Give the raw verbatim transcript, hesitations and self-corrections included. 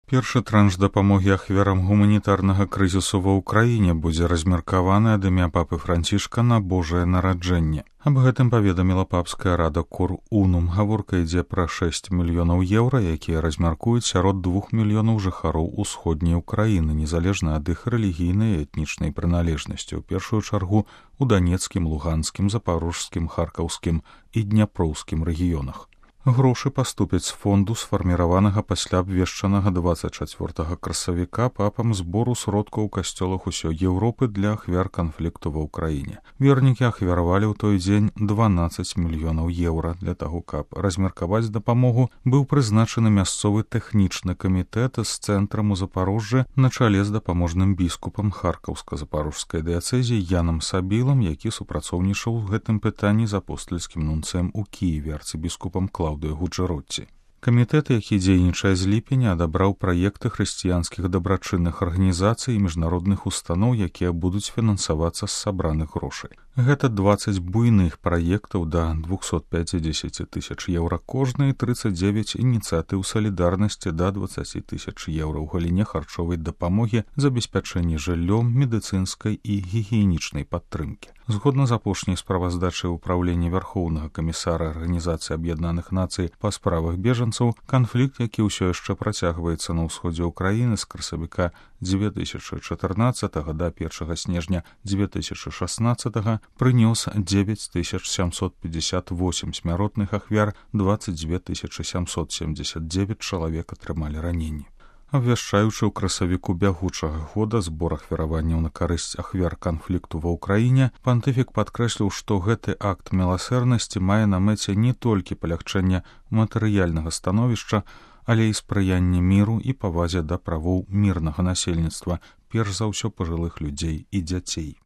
Першы транш дапамогі ахвярам гуманітарнага крызісу ва ўкраіне будзе размеркаваны ад імя папы Францішка на Божае нараджэнне. Аб гэтым паведаміла папская рада Кор Унум. Гаворка ідзе пра шэсць мільёнаў еўра, якія размяркуюць сярод двух мільёнаў жыхароў усходняй Украіны, незалежна ад іх рэлігійнай і этнічнай прыналежнасці, у першую чаргу у данецкім, луганскім, запарожскім, харкаўскім і дняпроўскім рэгіёнах. Грошы паступяць з фонду, сфарміраванага пасля абвешчанага дваццаць чацвёртага красавіка папам збору сродкаў у касцёлах усёй Еўропы для ахвяр канфлікту ва ўкраіне. Вернікі ахвяравалі ў той дзень дванаццаць мільёнаў еўра. Для таго, каб размеркаваць дапамогу, быў прызначаны мясцовы тэхнічны камітэт з цэнтрам у Запарожжы на чале з дапаможным біскупам харкаўска-запарожскай дыяцэзіі Янам Сабілам, які супрацоўнічаў у гэтым пытанні з апостальскім нунцэм у Кіеве арцыбіскупам Клаўдыяй Гуджэротці. Камітэт, які дзейнічае з ліпеня, адабраў праекты хрысціянскіх дабрачынных арганізацый і міжнародных устаноў, якія будуць фінансавацца з сабраных грошай. Гэта дваццаць буйных праектаў да двухсот пяцідзесяці тысяч еўра кожны і трыццаць дзевяць ініцыятыў салідарнасці да дваццаці тысяч еўра ў галіне харчовай дапамогі, забеспячэння жыллём, медыцынскай і гігіенічнай падтрымкі. Згодна з апошняй справаздачай ўпраўлення Вярхоўнага камісара Арганізацыі Аб'яднаных Нацый па справах бежанцаў, канфлікт, які ўсё яшчэ працягваецца на ўсходзе ўкраіны з красавіка дзве тысячы чатырнаццатага да першага снежня дзве тысячы шаснаццатага, прынёс дзевяць тысяч сямсот пятьдесят восемь смяротных ахвяр, дваццаць дзве тысячы сямсот семьдесят девять чалавек атрымалі раненні. Абвяшчаючы ў красавіку бягучага года збор ахвяраванняў на карысць ахвяр канфлікту ва ўкраіне, пантыфік падкрэсліў, што гэты акт міласэрнасці мае на мэце не толькі палягчэнне матэрыяльнага становішча, але і спрыянне міру і павазе да правоў мірнага насельніцтва, перш за ўсё пажылых людзей і дзяцей.